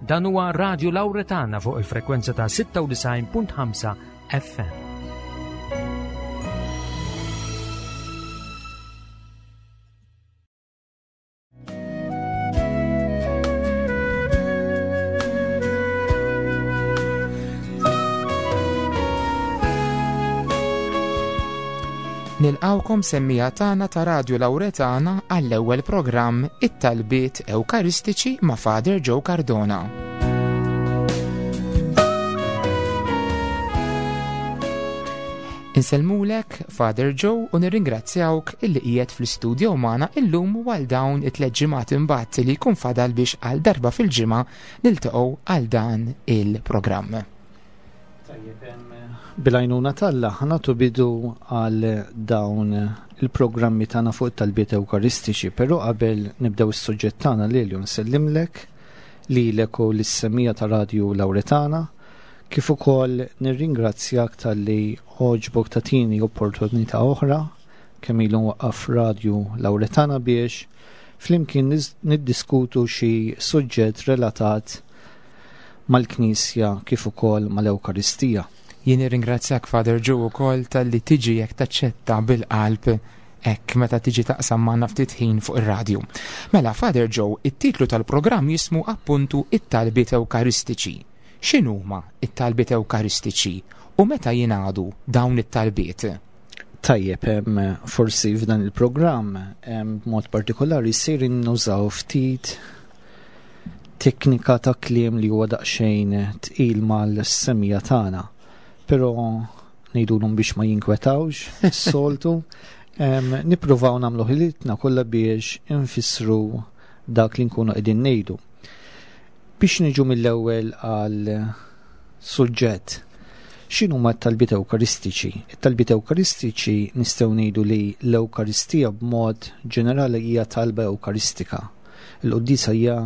Dan huwa Radio Lauretana fuq il-frekwenza ta' 96.5 FM. Nilqawkom semmija tagħna ta' Radio Lauretana għall-ewwel programm It-Talbiet Ewkaristiċi ma' Father Joe Cardona. Insellmulek, Father Joe, u nirringrazzjawk illi qiegħed fl-istudio magħna illum u għal dawn it-tliet ġimgħat imbagħad li jkun fadal biex għal darba fil-ġimgħa niltaqgħu għal dan il-programm. Tajjeb, bil-għajnuna t'Alla ħanatu bidu għal dawn il-programmi tagħna fuq it-talbiet Ewkaristiċi, però qabel nibdew is-suġġett tagħna lili nsellimlek lilek u lis-semija ta' Radju Lauretana Kif ukoll nirringrazzjak talli għoġbok tagħtini opportunità oħra kemm ilu nwaqqaf Radju Lauretana biex flimkien niddiskutu xi suġġett relatat mal-Knisja kif ukoll mal-Ewkaristija. Jien nirringrazzjak Father Joe ukoll talli tiġi jekk taċċetta bil-qalb hekk meta tiġi taqsam magħna ftit ħin fuq ir-radju. Mela Father Joe, it-titlu tal-programm jismu appuntu it-talbiet Ewkaristiċi. X'inhuma t-talbiet Ewkaristiċi u meta jingħadu dawn it-talbiet? Tajjeb, forsi f'dan il-programm b'mod partikolari sejrin nużaw ftit teknika ta' kliem li huwa daqsxejn tqil mal-semija tagħna. Però ngħidulhom biex ma jinkwetawx, soltu, nippruvaw nagħmlu ħilitna kollha biex infissru dak li nkunu qegħdin ngħidu. Biex niġu mill-ewwel għal suġġett, x'inhuma t-talbiet Ewkaristiċi? It-talbiet Ewkaristiċi nistgħu ngħidu li l-Ewkaristija b'mod ġenerali hija talba Ewkaristika. Il-quddiesa hija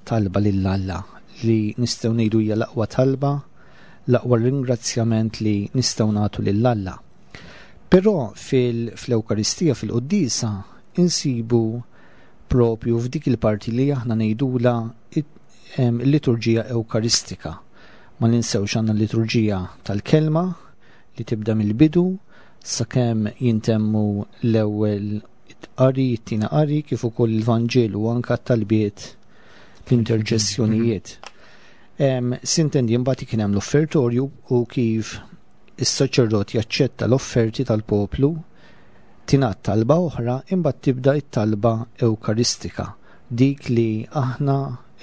talba lil Alla li nistgħu ngħidu hija l-aqwa talba, l-aqwa ringrazzjament li nistgħu nagħtu lil Alla. Però fil-Ewkaristija fil-quddiesa insibu propju f'dik il-parti li aħna ngħidulha il-liturġija Ewkaristika. Ma ninsewx għandna l-liturġija tal-kelma li tibda mill-bidu sakemm jintemmu l-ewwel qari, it-tieni qari, kif ukoll il-Vanġelu u anka t-talbiet l-interċessjonijiet. Sintendi mbagħad kien hemm l-offertorju u kif is-saċerdot jaċċetta l-offerti tal-poplu Tingħad talba oħra imbagħad tibda t-talba Ewkaristika, dik li aħna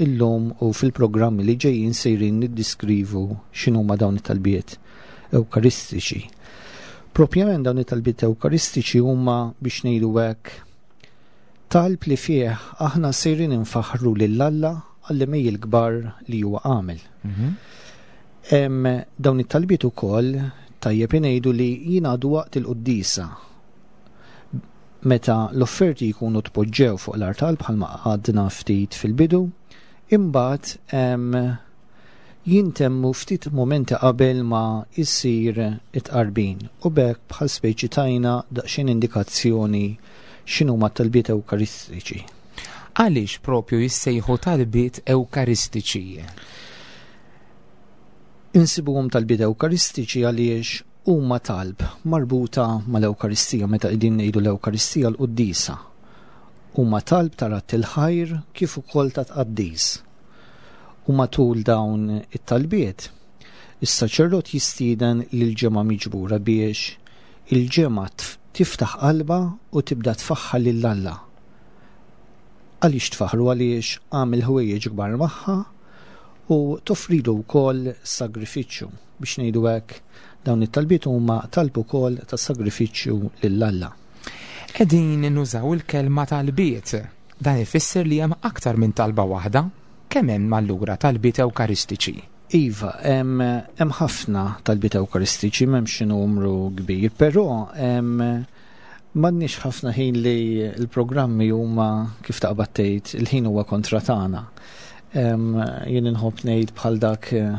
illum u fil-programmi li ġejjin sejrin niddiskrivu x'inhuma dawn it-talbiet Ewkaristiċi. Propjament dawn it-talbiet Ewkaristiċi huma biex ngħidu hekk talb li fih aħna sejrin infaħħru lil Alla għall-għemejjel kbar li huwa għamel. Mhm. Dawn it-talbiet ukoll tajjeb ingħidu li jingħadu waqt il-quddiesa meta l-offerti jkunu tpoġġew fuq l-artal bħalma għadna ftit fil-bidu, imbagħad jintemmu ftit mumenti qabel ma jsir it-tqarbin u b'hekk bħal speċi tajna daqsxejn indikazzjoni x'inhuma t-talbiet Ewkaristiċi. Għaliex propju jissejħu talbiet Ewkaristiċi? Insibuhom talbiet Ewkaristiċi għaliex huma talb marbuta mal-Ewkaristija meta qegħdin ngħidu l-Ewkaristija l-quddiesa. Huma talb ta' radd il-ħajr kif ukoll ta' tqaddis. U matul dawn it-talbiet, is-saċerdot jistieden lill-ġemgħa miġbura biex il-ġemgħa tiftaħ qalbha u tibda tfaħħar lil Alla. Għaliex tfaħħru? Għaliex għamel ħwejjeġ kbar magħha u toffrilu wkoll sagrifiċċju. Biex ngħidu hekk, dawn it-talbiet huma talb ukoll ta' sagrifiċċju lil Alla. Qegħdin nużaw il-kelma talbiet. Dan ifisser li hemm aktar minn talba waħda. Kemm hemm allura talbiet Ewkaristiċi? Iva, hemm ħafna talbiet Ewkaristiċi, m'hemmx xi numru kbir, però M'għandniex ħafna ħin li l-programmi huma kif taqbad tgħid, il-ħin huwa kontra tagħna. Jien inħobb ngħid bħal dak eh,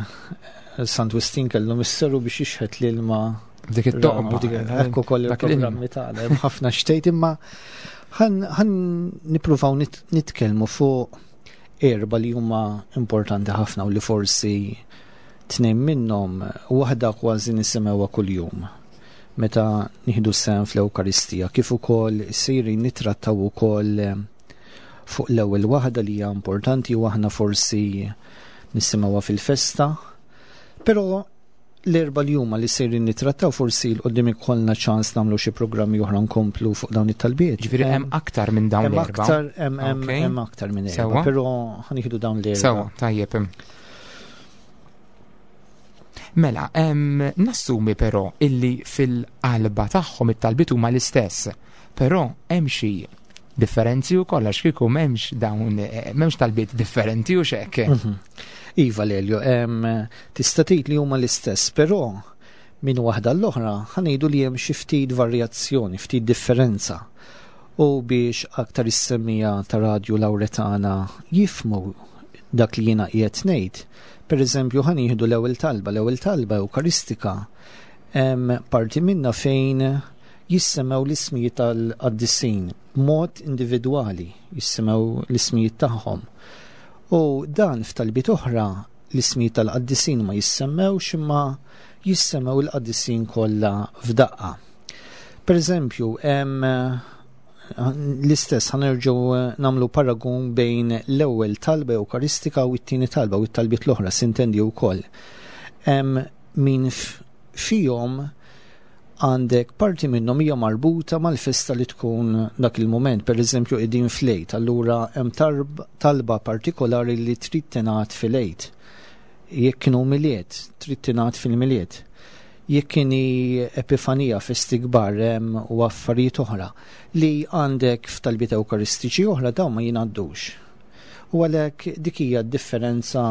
Sant Wistin kellu misseru biex jixħet l-ilma dik it-toqba. Hekk ukoll il-programmi tagħna hemm ħafna xtejt imma ħan nippruvaw nitkellmu fuq Erba li huma importanti ħafna u li forsi tnejn minnhom waħda kważi nisimgħuha kuljum meta nieħdu sehem fl-Ewkaristija, kif ukoll sejrin nittrattaw ukoll fuq l-ewwel waħda li hija importanti u aħna forsi nisimgħuha fil-festa. Però l-erba li huma li sejrin nittrattaw forsi l qudiem ikollna ċans nagħmlu xi programmi oħra nkomplu fuq dawn it-talbiet. Ġifieri hemm aktar minn dawn l-erba. Hemm aktar minn erba, però ħanieħdu dawn l-erba. Sewa, tajjeb. Mela, nassumi però illi fil-qalba tagħhom it-talbiet huma l-istess, però hemm xi differenzi u kollax kieku m'hemmx dawn m'hemmx talbiet differenti u xek. Iva Lelio, tista' tgħid li huma l-istess, però minn waħda l-oħra ħanejdu li hemm xi ftit varjazzjoni, ftit differenza. U biex aktar is-semmija ta' Radju Lawretana jifmu dak li jiena qiegħed ngħid, pereżempju ħa nieħdu l-ewwel talba, l-ewwel talba Ewkaristika hemm parti minnha fejn jissemmew l-ismijiet tal-qaddisin b'mod individwali, jissemmew l-ismijiet tagħhom. U dan f'talbiet oħra l-ismijiet tal-qaddisin ma jissemmewx imma jissemmew il-qaddisin kollha f'daqqa. Per eżempju, hemm l-istess ħanerġgħu nagħmlu paragun bejn l-ewwel talba Ewkaristika u t-tieni talba u t-talbiet l-oħra sintendi wkoll. Hemm min fihom għandek parti minnhom hija marbuta mal-festa li tkun dak il-mument, per eżempju qegħdin fl-Għid, allura hemm talba partikolari li trid tingħad fil-Għid. Jekk kienu Milied, trid tingħad fil-Milied. Jekk kieni Epifanija, festi kbar hemm u affarijiet oħra li għandek f'talbiet Ewkaristiċi oħra dawn ma jingħaddux. U għalhekk dik hija d-differenza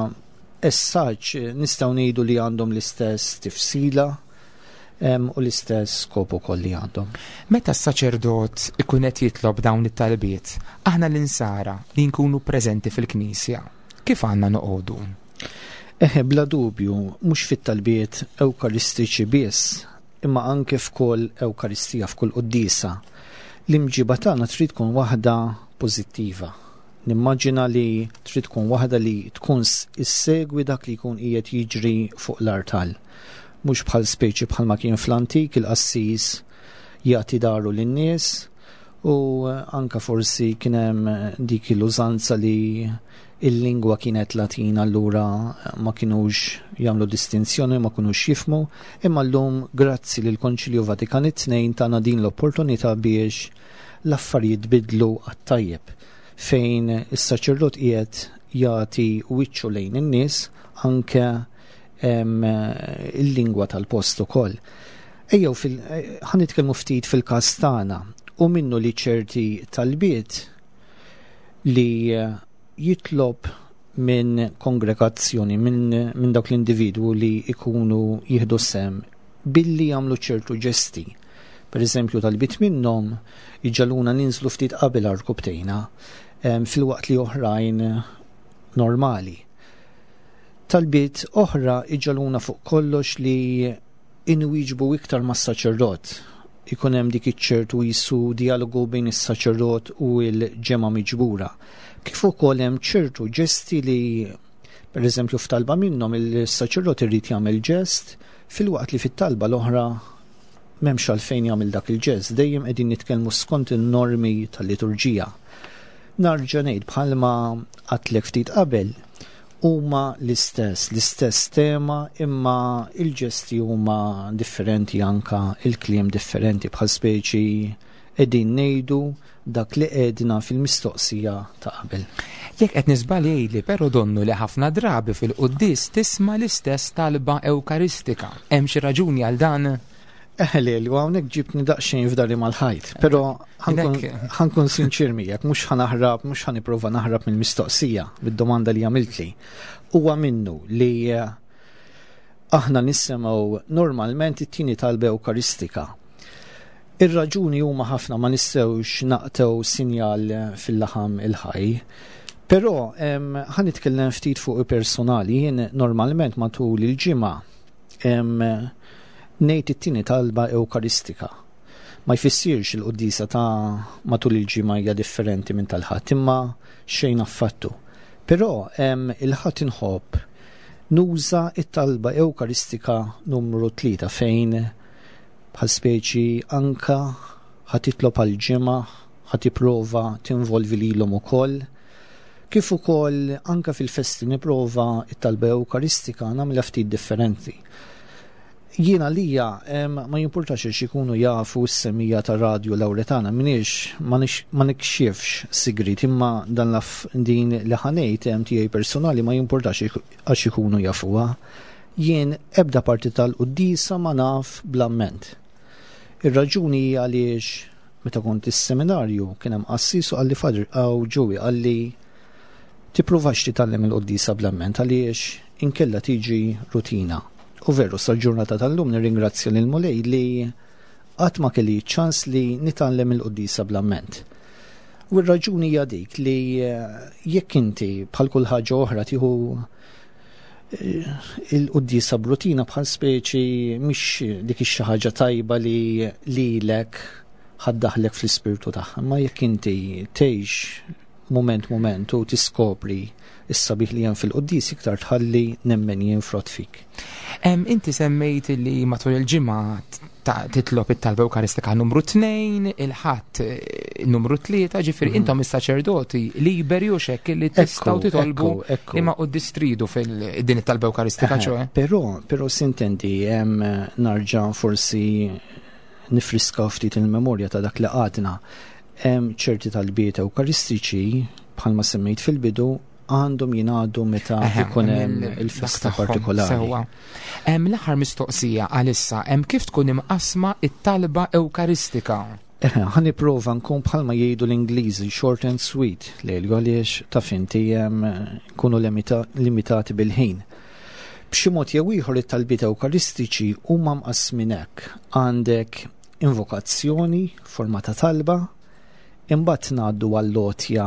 essaġġ nistgħu ngħidu li għandhom l-istess tifsila u l-istess skop ukoll li għandhom. Meta s-saċerdot ikun qed jitlob dawn it-talbiet, aħna l-insara li nkunu preżenti fil-Knisja, kif għandna noqogħdu? Eħe, bla dubju, mhux fit-talbiet Ewkaristiċi biss, imma anke f'kull Ewkaristija, f'kull quddiesa. L-imġiba tagħna trid tkun waħda pożittiva. Nimmaġina li trid tkun waħda li tkun issegwi dak li jkun qiegħed jiġri fuq l-artal. Mhux bħal speċi bħalma kien fl-antik il-qassis jagħti daru lin-nies u anka forsi kien hemm dik l-użanza li il-lingwa kienet Latina allura ma kinux jagħmlu distinzjoni, ma kinux jifmu, imma llum grazzi lil Konċilju Vatikan it-tnejn tana din l-opportunità biex l-affarijiet bidlu għat-tajjeb fejn is-saċerdot qiegħed jagħti wiċċu lejn in-nies anke il-lingwa tal-post ukoll. Ejjew ħa nitkellmu ftit fil-każ tagħna u minnu li ċerti talbiet li jitlob minn kongregazzjoni, minn dawk l-individwu li ikunu jieħdu sem billi jagħmlu ċertu ġesti. Per eżempju, talbiet minnhom iġaluna ninżlu ftit qabel arkubtejna filwaqt li oħrajn normali. Talbiet oħra iġaluna fuq kollox li inwieġbu iktar mas-saċerdot. Ikun hemm dik iċ-ċertu jisu dialogu bejn is-saċerdot u l-ġemgħa miġbura. Kif ukoll hemm ċertu ġesti li per eżempju f'talba minnhom il-saċerdot irid jagħmel ġest filwaqt li fit-talba l-oħra m'hemmx għalfejn jagħmel dak il-ġest, dejjem qegħdin nitkellmu skont in-normi tal-liturġija. Narġa' ngħid bħalma għadtlek ftit qabel, huma l-istess, l-istess tema imma il-ġesti huma differenti anka il-kliem differenti bħal speċi qegħdin ngħidu dak li għedna fil-mistoqsija ta' qabel. Jekk qed niżbal jgħidli, però donnu li ħafna drabi fil-quddies tisma' l-istess talba Ewkaristika. Hemm xi raġuni għal dan? Eħe Lelju, hawnhekk ġibtni daqsxejn f'dari mal-ħajt, però ħankun sinċir miegħek, mhux ħanaħrab, mhux ħaniprova naħrab mill-mistoqsija, mid-domanda li għamiltli. Huwa minnu li aħna nisimgħu normalment it-tieni talba Ewkaristika. Ir-raġuni huma ħafna ma nistgħux naqtgħu sinjal fil-laħam il-ħaj. Però ħa nitkellem ftit fuq personali, jien normalment matul il-ġimgħa ngħid it-tieni talba Ewkaristika. Ma jfissirx il-quddiesa ta' matul il-ġimgħa hija differenti minn tal-Ħadd, imma xejn affattu. Però il-Ħadd inħobb nuża it-talba Ewkaristika numru 3 fejn bħal speċi anka ħa titlob għal ġimgħa, ħa tipprova tinvolvi lilhom ukoll. Kif ukoll anka fil-festi nipprova it-talba Ewkaristika nagħmilha ftit differenti. Jiena lija ma jimpurtax għax ikunu jafu s-semija ta' Radio Lauretana, minix ma nikxifx sigrit, imma dan laf din li ħanejt hemm tiegħi personali ma jimpurtax għax ikunu jafuha. Jien ebda parti tal-quddiesa ma naf bl-amment. Ir-raġuni hija għaliex meta kont is-seminarju kien hemm qassis u qalli Father Aw Joey qalli tippruvax titgħallem il-quddiesa bl-amment għaliex inkella tiġi rutina. U veru, sal-ġurnata tal-lum nirringrazzja lil Mulej li qatt ma kelli ċans li nitgħallem il-quddiesa bl-amment. U r-raġuni hija dik li jekk inti bħal kull ħaġa oħra tieħu il-quddiesa b'rutina bħal speċi mhix dik ix-xi ħaġa tajba li lilek ħaddaħlek fl-ispirtu tagħha, ma jekk inti tgħix mument mument u tiskopri is-sabiħ li hemm fil-quddies iktar tħalli nemmen jien frott fik. Inti semmejt li matul il-ġimgħa titlob it-talba Ewkaristika numru 2, il-Ħadd numru 3, ġifieri intom is-saċerdoti liberi u xekk li tistgħu titolbu imma quddies tridu fil-din it-talba Ewkaristika, ċoe. Però sintendi hemm narġa' forsi nifriska ftit il-memorja ta' dak li għadna. Hemm ċerti talbiet Ewkaristiċi bħalma semmejt fil-bidu għandhom jingħadu meta ikun hemm il-festa partikolari. Sewwa. Hemm l-aħħar mistoqsija għalissa, hemm kif tkun imqasma it-talba Ewkaristika? Ħa nipprova nkun bħalma jgħidu l-Ingliżi short and sweet, lejlu għaliex taf inti nkunu limitati bil-ħin. B'xi mod jew ieħor it-talbiet Ewkaristiċi huma mqassmin hekk. Għandek invokazzjoni, forma ta' talba, imbagħad ngħaddu għall-għotja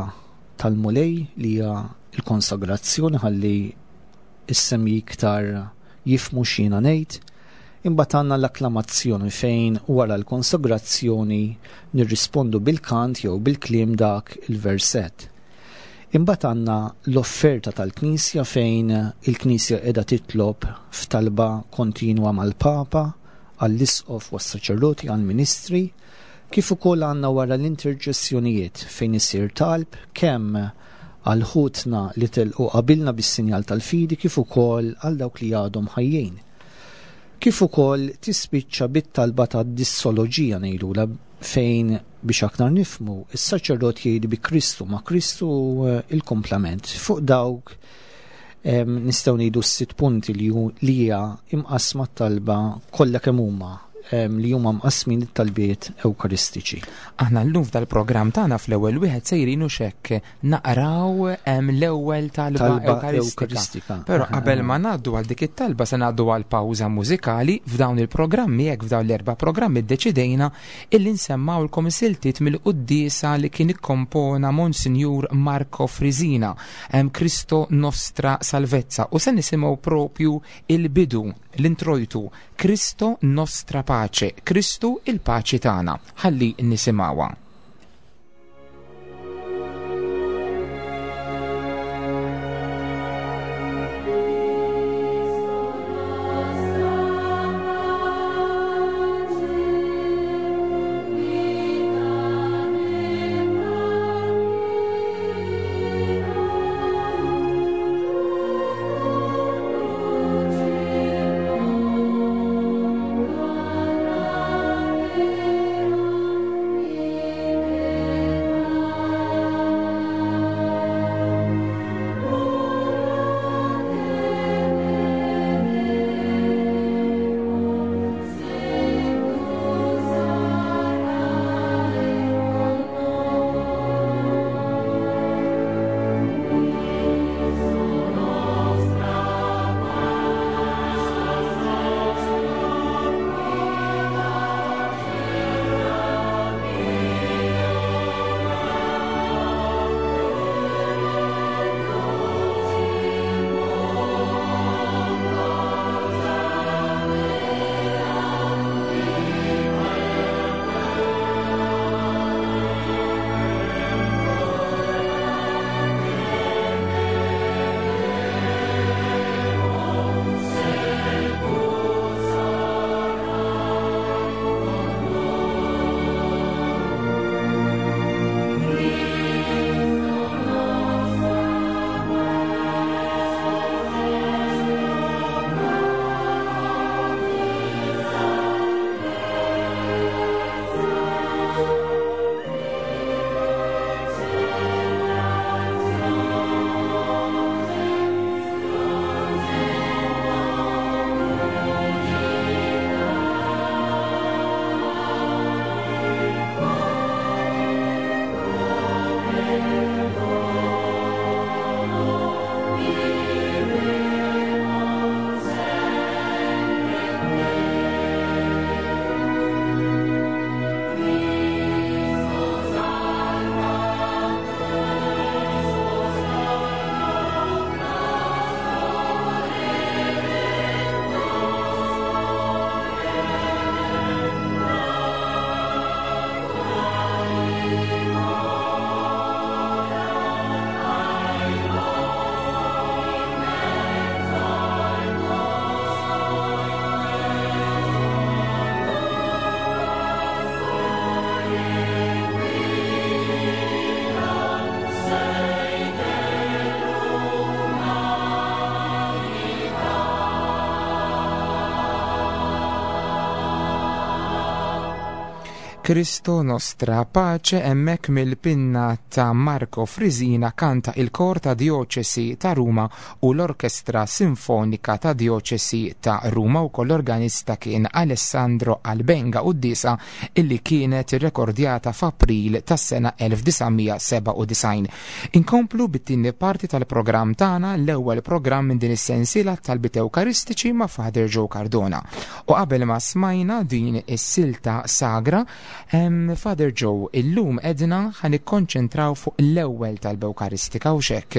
tal-Mulej li hija l-konsagrazzjoni ħalli is-semmi iktar jifmu x'jiena ngħid. Imbagħad għandna l-akklamazzjoni fejn wara l-konsagrazzjoni nirrispondu bil-kant jew bil-kliem dak il-verset. Imbagħad għandna l-offerta tal-Knisja fejn il-Knisja qiegħda titlob f'talba kontinwa mal-Papa, għall-Isqof u għas-saċerdoti, għall-ministri, kif ukoll għandna wara l-interċessjonijiet fejn isir talb kemm għal ħutna li telqu qabilna bis-sinjal tal-fidi kif ukoll għal dawk li għadhom ħajjin. Kif ukoll tispiċċa bit-talba ta' dissoloġija ngħidulha fejn biex aktar nifmu is-saċerdot jgħid bi Kristu ma' Kristu il-komplament fuq dawk nistgħu ngħidu s-sitt punti li hija imqasma t-talba kollha kemm huma li huma mqasmin it-talbiet Ewkaristiċi. Aħna llum f'dal-programm tagħna fl-ewwel wieħed sejrin u xekk naqraw l-ewwel talba Talba Ewkaristika. Ewkaristika. Però qabel ma ngħaddu għal dik it-talba se ngħaddu għal pawża mużikali f'dawn il-programmi, hekk f'dawn l-erba' programmi ddeċidejna illi nsemmawlkom siltiet mill-quddiesa li kien ikkompona Monsinjur Marco Frisina, Cristo Nostra Salvezza, u se nisimgħu propju il-bidu, l-introjtu, Cristo Nostra Pace, Kristu il-paċi tagħna. Ħalli nisimgħuha. Cristo Nostra Pace hemmhekk mill-pinna ta' Marco Frisina kanta il-kor ta' Djoċesi ta' Ruma u l-Orkestra Sinfonika ta' Djoċesi ta' Ruma u l-organista kien Alessandro Albenga quddiesa illi kienet irrekordjata f'April tas-sena 1997. Inkomplu bit-tieni parti tal-programm tagħna, l-ewwel programm minn din is-sensiela talbiet Ewkaristiċi ma' Father Joe Cardona. U qabel ma smajna din is-silta sagra, Father Joe, illum edna ħa nikkonċentraw fuq l-ewwel talba Ewkaristika u xek.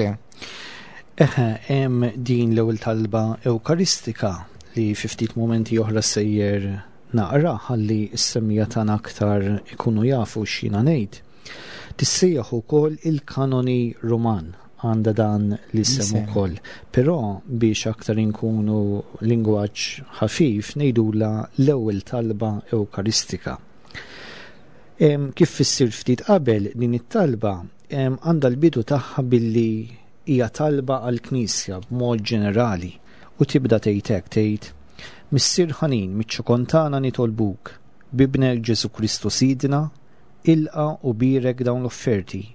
Eħe, hemm din l-ewwel talba Ewkaristika li fi ftit momenti oħra sejjer naqra ħalli s-semmiegħa tagħna aktar ikunu jafu x'jiena ngħid. Tissejjaħ ukoll il-kanoni Ruman għandha dan l-isem ukoll. Però biex aktar inkunu lingwaġġ ħafif ngħidula l-ewwel talba Ewkaristika. Kif fissir ftit qabel din it-talba għandha l-bidu tagħha billi hija talba għall-Knisja b'mod ġenerali u tibda tgħid hekk tgħid Missier ħanin miċ-ċokon tagħna nitolbuk b'Ibnek Ġesù Kristu Sidna ilqa' u bierek dawn l-offerti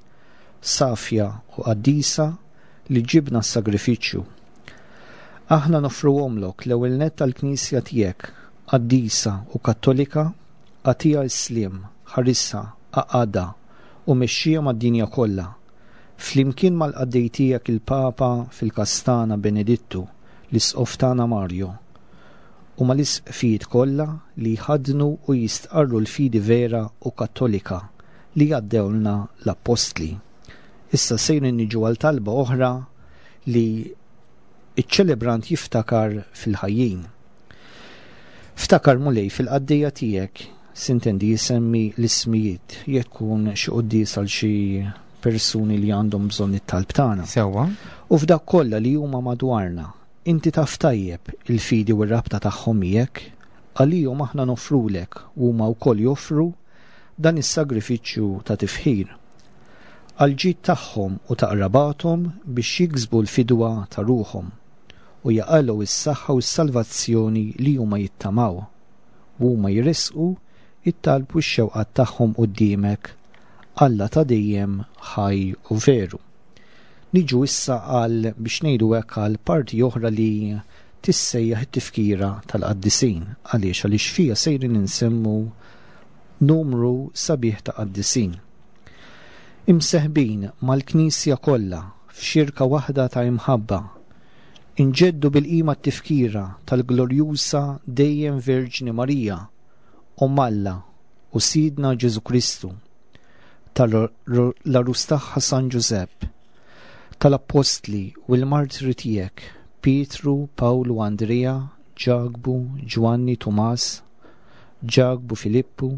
safja u qaddisa li ġibna s-sagrifiċċju. Aħna noffruhomlok l-ewwel nett għall-Knisja tiegħek, qaddisa u kattolika, agħtiha s-sliem, ħarisha, għaqqadha u mexxiha mad-dinja kollha, flimkien mal-qaddej tiegħek il-Papa fil-każ tagħna Benedittu, l-Isqof tagħna Mario, u mal-isqfijiet kollha li jħaddnu u jistqarru l-fidi vera u kattolika li għaddewlna l-appostli. Issa sejrin niġu għal talba oħra li ċ-ċelebrant jiftakar fil-ħajjin. Ftakar Mulej fil-qaddejja tiegħek, sintendi jsemmi l-ismijiet, jekk tkun xi quddies għal xi persuni li għandhom bżonn it-talb tagħna. Sewwa. U f'dak kollha li huma madwarna, inti taf tajjeb il-fidi u r-rabta tagħhom miegħek, għalihom aħna noffrulek u huma wkoll joffru dan is-sagrifiċċju ta' tifħir. Għall-ġid tagħhom u ta' qrabathom biex jiksbu l-fidwa ta' ruħhom u jaqalgħu s-saħħa u s-salvazzjoni li huma jittamaw, u huma jressqu t-talb u x-xewqat tagħhom quddiemek, Alla ta' dejjem ħaj u veru. Niġu issa għal biex ngħidu hekk għal parti oħra li tissejjaħ it-tifkira tal-qaddisin. Għaliex? Għaliex fiha sejrin insemmu numru sabiħ ta' qaddisin. Imseħbin mal-Knisja kollha f'xirka waħda ta' imħabba, inġeddu bil-qima t-tifkira tal-glorjusa dejjem Verġni Marija, Omm Alla u Sidna Ġesù Kristu, tal-għarus tagħha San Ġużepp, tal-appostli u l-martri tiegħek Pietru, Pawlu, Andrea, Ġakbu, Ġwanni, Tumas, Ġakbu, Filippu,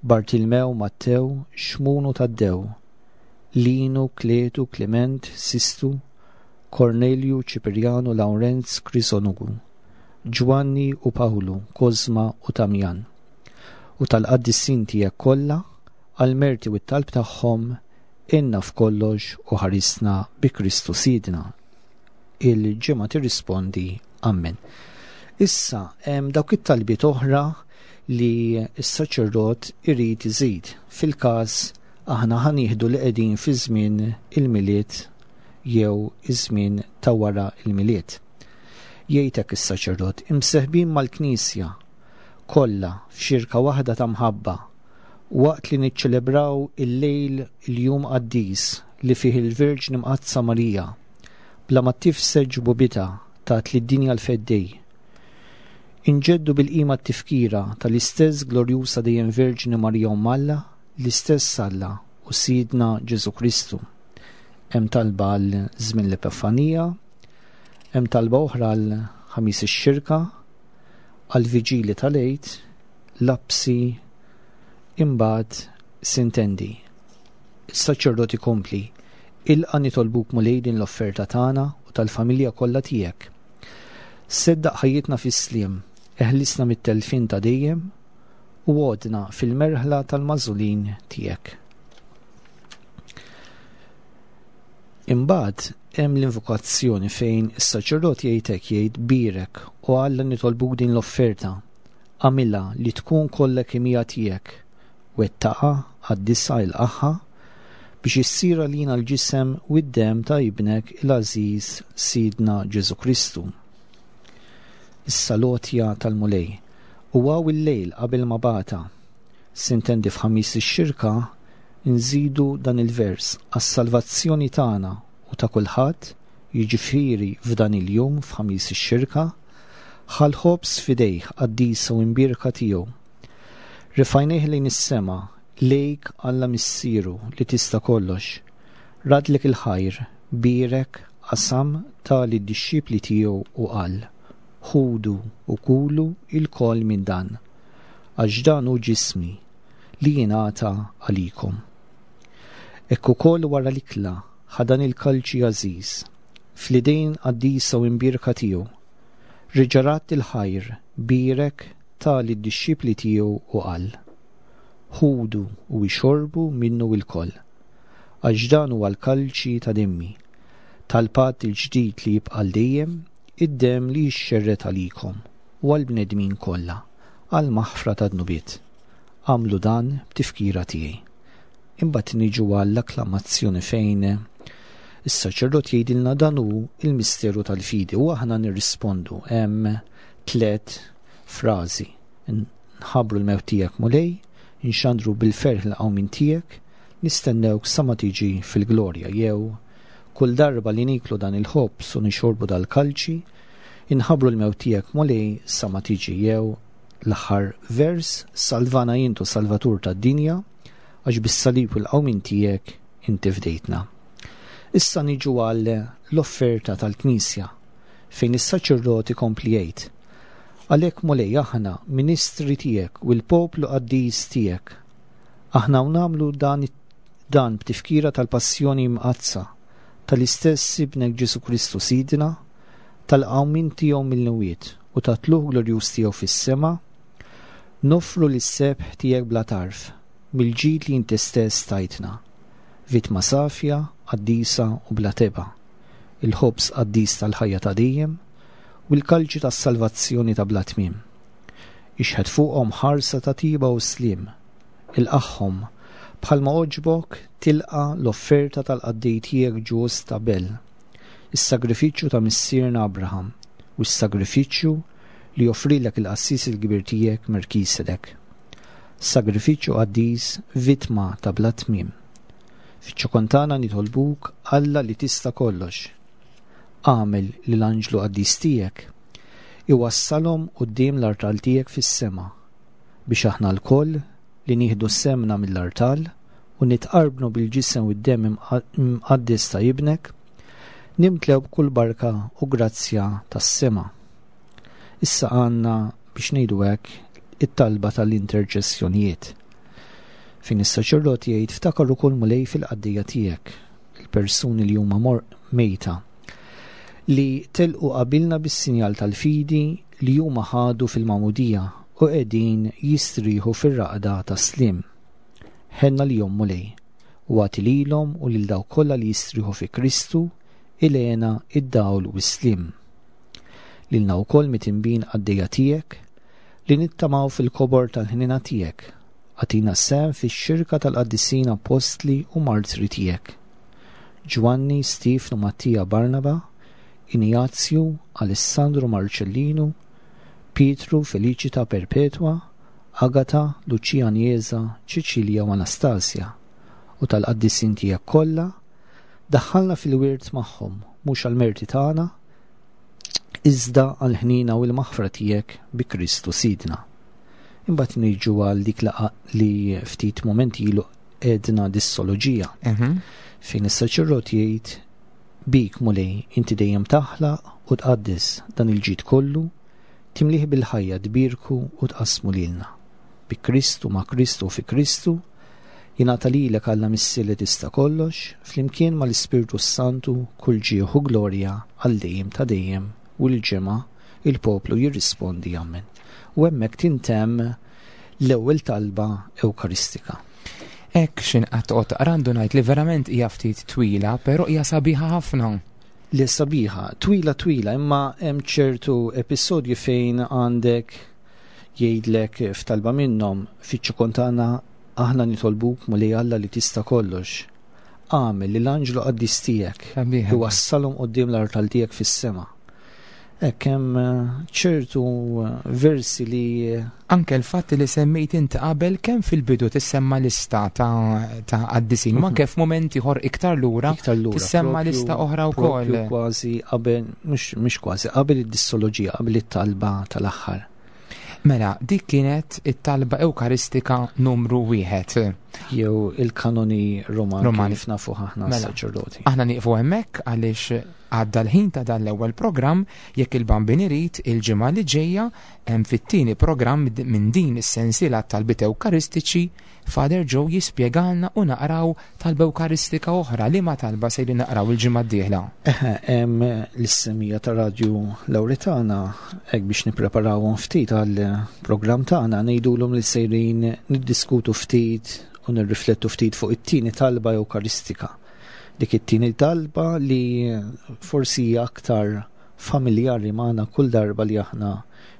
Bartilmew, Mattew, Xmun u Taddew, Linu, Kletu, Klement, Sistu, Kornelju, Ċipirjanu, Lawrenz, Krisonugu, Ġwanni u Pawlu, Kosma u Tamjan, u tal-qaddisin tiegħek kollha, għall-merti u t-talb tagħhom, għinna f'kollox u ħarisna bi Kristu Sidna. Il-ġemgħa tirrispondi Ammen. Issa hemm dawk it-talbiet oħra li s-saċerdot irid iżid. Fil-każ aħna ħa nieħdu li qegħdin fi żmien il-Milied jew iż-żmien ta' wara l-Milied. Jgħid hekk is-saċerdot, imseħbin mal-Knisja kollha f'xirka waħda ta' mħabba, waqt li niċċelebraw il-lejl il-jum qaddis li fih il-Verġni Mqaddsa Marija, bla ma tifsed ġbubitha, tat lid-dinja l-Feddej. Inġeddu bil-qima t-tifkira tal-istess glorjusa dejjem Verġni Marija Omm Alla, l-istess Alla u Sidna Ġesù Kristu. Hemm talba għal żmien l-Epifanija, hemm talba oħra għal Ħamis ix-Xirka, għal Viġili tal-Għid, lapsi, imbagħad sintendi. Is-saċerdot ikompli, Ilqa' nitolbuk Mulej din l-offerta tagħna u tal-familja kollha tiegħek. Seddaq ħajjitna fis-sliem, eħlisna mit-telfien ta' dejjem u għodna fil-merħla tal-magħżulin tiegħek. Imbagħad hemm l-invokazzjoni fejn is-saċerdot jgħid hekk jgħid bierek o Alla nitolbuk din l-offerta Agħmilha li tkun kollha kemm hija tiegħek. Wettaqha, qaddisha, ilqagħha, biex issir għalina l-ġisem u d-demm ta' Ibnek il-għażiż Sidna Ġesù Kristu. Issa l-għotja tal-Mulej. U hawn il-lejl qabel ma bagħatha. Sintendi f'Ħamis ix-Xirka nżidu dan il-vers għas-salvazzjoni tagħna u ta' kulħadd, jiġifieri f'dan il-jum f'Ħamis ix-Xirka, ħa l-ħobż f'idejh qaddisa u imbierka tiegħu. Refajnih lejn is-sema, lejk Alla Missieru li tista' kollox. Raddlek il-ħajr, bierek, qasam, ta lid-dixxipli tiegħu u qal, Ħudu u kulu ilkoll minn dan, għax dan hu ġismi, li jingħata għalikom. Hekk ukoll wara l-ikla ħa dan il-kalċi għażiż, fl-idejn qaddisa u imbierka tiegħu. Reġa' radd il-ħajr, bierek, ta lid-dixxipli tiegħu u qal, Ħudu u ixorbu minnu ilkoll, għax dan huwa l-kalċi ta' demmi, tal-patt il-ġdid li jibqa' għal dejjem, id-demm li jixxerred għalikom u għall-bnedmin kollha, għall-maħfra tad-dnubiet. Agħmlu dan b'tifkira tiegħi. Imbagħad niġu għall-akklamazzjoni fejn is-saċerdot jgħidilna dan hu l-misteru tal-fidi u aħna nirrispondu hemm tlet frażi. Nħabbru l-mewt tiegħek Mulej, inxandru bil-ferħ l-qawmien tiegħek, nistennewk sa ma tiġi fil-glorja jew kull darba li niklu dan il-ħobż u nixorbu dal-kalċi, inħabbru l-mewt tiegħek Mulej sa ma tiġi jew L-aħħar vers, Salvana int o Salvatur tad-dinja, għax bis-salib u l-qawmien tiegħek inti fdejtna. Issa niġu għal l-offerta tal-Knisja, fejn is-saċerdot ikompli jgħid, Għalhekk Mulej aħna ministri tiegħek u l-poplu qaddis tiegħek. Aħna u nagħmlu dan dan b'tifkira tal-passjoni mqaddsa tal-istess Ibnek Ġesù Kristu Sidna, tal-qawmien tiegħu mill-imwiet u tat-tlugħ glorjuż tiegħu fis-sema, noffru lis-sebħ tiegħek bla tarf, mill-ġid li inti stess tajtna, vittma safja, qaddisa u bla tebgħa, il-ħobż qaddis tal-ħajja ta' dejjem u l-kalċi tas-salvazzjoni ta' bla tmiem. Ixħet fuqhom ħarsa ta' tiba u sliem, ilqagħhom, bħalma għoġbok tilqa' l-offerta tal-qaddej tiegħek ġust Abel, is-sagrifiċċju ta' missierna Abraham u s-sagrifiċċju li joffrilek il-qassis il-kbir tiegħek Melkisedek. Sagrifiċċju qaddis, vittma ta' bla tmiem. Fiċ-ċokon tagħna nitolbuk Alla li tista' kollox. Agħmel li l-anġlu qaddis tiegħek iwassalhom quddiem l-artal tiegħek fis-sema biex aħna lkoll li nieħdu sehemna mill-artal u nitqarbnu bil-ġisem u d-demm imqaddes ta' Ibnek, nimtlew b'kull barka u grazzja tas-sema. Issa għandna biex ngħidu hekk it-talba tal-interċessjonijiet. Fejn is-saċerdot jgħid ftakar ukoll Mulej fil-qaddejja tiegħek, il-persuni li huma mejta, li telqu qabilna bis-sinjal tal-fidi li huma ħadu fil-magħmudija u qegħdin jistrieħu fir-raqda tas-sliem. Ħenn għalihom, Mulej, u agħti lilhom u lil dawk kollha li jistrieħu fi Kristu il-hena, id-dawl u s-sliem. Lilna wkoll mitinbin qaddejja tiegħek, li nittamaw fil-kobor tal-ħniena tiegħek, agħtina sehem fix-xirka tal-qaddisin appostli u martri tiegħek. Ġwanni, Stiefnu, Mattija, Barnaba, Injazju, Alessandru, Marċellinu, Pietru, Feliċita, Perpetwa, Agata, Luċija Anjeza, Ċiċilja u Anastasia, u tal-qaddisin tiegħek kollha, daħħalna fil-wirt magħhom, mhux għall-merti tagħna, iżda għall-ħniena u l-maħfra tiegħek bi Kristu Sidna. Imbagħad niġu għal dik li ftit momenti ilu għedna dissoloġija, fejn is-saċerdot jgħid bik Mulej inti dejjem taħlaq u tqaddes dan il-ġid kollu Timlih bil-ħajja, tbierku u tqassmu lilna. Bi Kristu, ma' Kristu u fi Kristu, jingħata lilek Alla Missier li tista' kollox, flimkien mal-Ispirtu s-Santu, kull ġieħ u glorja għal dejjem ta' dejjem u l-ġemgħa, il-poplu jirrispondi Amen. U hemmhekk tintemm l-ewwel talba Ewkaristika. Hekk x'inqatt toqgħod taqra għandu ngħid li verament hija ftit twila, però hija sabiħa ħafna. Li sabiħa, twila twila, imma hemm ċertu episodji fejn għandek jgħidlek f'talba minnhom fiċ-ċokon tagħna Aħna nitolbuk Mulej Alla li tista' kollox. Agħmel li l-anġlu qaddis tiegħek iwassalhom quddiem l-artal tiegħek fis-sema. Hekk hemm eh, ċertu eh, versi li eh, Anke l-fatt li semmejt inti qabel kemm fil-bidu tissemma lista ta' ta' qaddisin, ma anke f'mument ieħor iktar lura iktar lura. tissemma propju- lista oħra wkoll. propju Kważi qabel, mhux mhux kważi, qabel id-dissoloġija, qabel it-talba tal-aħħar. Mela, dik kienet it-talba Ewkaristika numru wieħed. Jew il-kanoni Romani Romani. kif nafu aħna Mela. s-saċerdoti. Aħna nieqfu hemmhekk għaliex għadda l-ħin ta' dan l-ewwel programm jekk il-Bambin irid il-ġimgħa li ġejja hemm fit-tieni programm minn din is-sensiela talbiet Ewkaristiċi Father Joe jispjegalna u naqraw talba Ewkaristika oħra li ma talba se li naqraw il-ġimgħa d-dieħla. Eħe, hemm l-issemija ta' Radju Lawretana hekk biex nippreparawhom ftit għal programm tagħna ngħidulhom li sejrin niddiskutu ftit u nirriflettu ftit fuq it-tieni talba Ewkaristika. Dik it-tieni talba li forsi hija aktar familjari magħna kull darba li aħna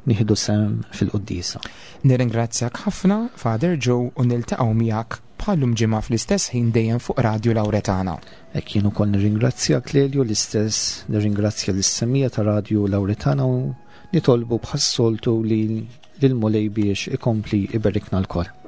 nieħdu sehem fil-quddiesa. Nirringrazzjak ħafna Father Joe u niltaqgħu miegħek bħallum ġimgħa fl-istess ħin dejjem fuq Radju Lawretana. Hekk jien ukoll nirringrazzjak Lelio l-istess, nirringrazzja lis-semija ta' Radju Lawretana u nitolbu bħas-soltu li lil Mulej biex ikompli iberikna lkoll.